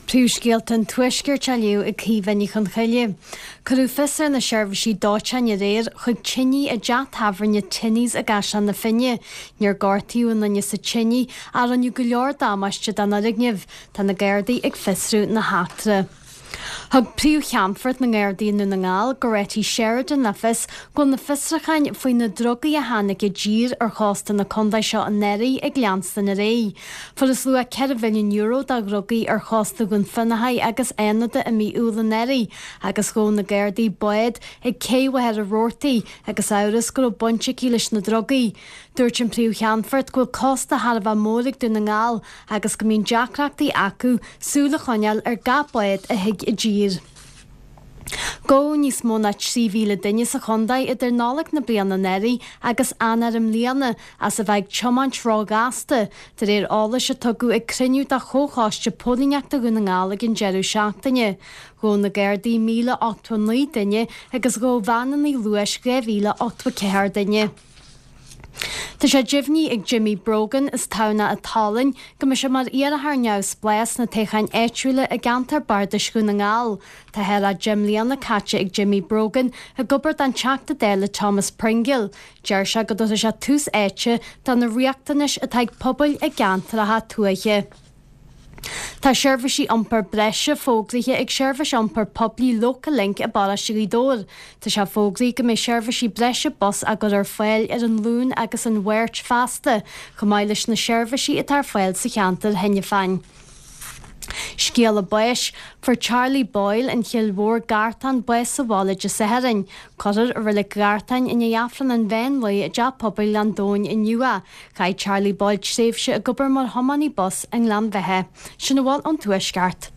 Príomhscéalta an Tuaiscirt á léamh ag Caoimhe Ní Chonchoille. Cuireadh fios ar na seirbhísí dóiteáin aréir chuig tine i dteach tábhairne Tinney's i gCaisleán na Finne. Níor gortaíodh aon duine sa tine ach rinneadh go leor damáiste don fhoirgneamh. Tá na Gardaí ag fiosrú na heachtra. Thug Príomh-Cheannfort na nGardaí i nDún na nGall, Goretti Sheridan le fios go bhfuil na fiosrúcháin faoi na drugaí a tháinig i dtír ar chósta na contae seo anuraidh ag leanstan ar aghaidh. Fuarthas luach €4 mhilliún de dhrugaí ar chósta Dhún Fionnachaidh agus Fhánada i mí Iúil anuraidh agus ghabh na Gardaí bád ag cé Mhachaire Rabhartaigh agus amhras go raibh baint aici leis na drugaí. Dúirt an Príomh-Cheannfort go bhfuil cósta thar a bheith mór ag Dún na nGall agus go mbíonn deacrachtaí acu súil a choinneáil ar gach bád a thig i dtír. Gabhadh níos mó ná 3,000 duine sa chontae idir Nollaig na bliana anuraidh agus Eanáir i mbliana as a bheith ag tiomáint róghasta, de réir eolais a tugadh ag cruinniú de Chomhchoiste Póilíneachta Dhún na nGall ag an deireadh seachtaine. Ghabh na Gardaí 1,089 duine agus ghabh veaineanna luais 2,084 duine. Tá sé deimhnithe ag Jimmy Brogan as Tamhnach an tSalainn go mbeidh sé mar iarrthóir neamhspleách sna toghcháin áitiúla i gceantar bardais Dhún na nGall. Tá thar a 10 mbliana caite ag Jimmy Brogan ag obair don Teachta Dála Thomas Pringle. Deir sé go dtabharfaidh sé tús áite do na riachtanais atá ag pobail i gceantracha tuaithe. Tá seirbhísí iompair breise fógraithe ag seirbhís iompair poiblí Localink i bparóiste Ghaoth Dobhair. Tá sé fógraithe go mbeidh seirbhísí breise bus á gcur ar fáil ar an Luan agus an Mháirt feasta, chomh maith leis na seirbhísí atá ar fáil sa cheantar cheana féin. Scéala báis, Fuair Charlie Boyle, an Chill Mhór, Gartán, bás sa bhaile Dé Sathairn. Cuirfear i Reilig Ghartáin i ndiaidh Aifreann an mheán lae i dTeach Pobail Ghleann Domhain inniu é. Chaith Charlie Boyle tréimhse ag obair mar thiománaí bus i nGleann Bheatha. Sin a bhfuil ón Tuaisceart.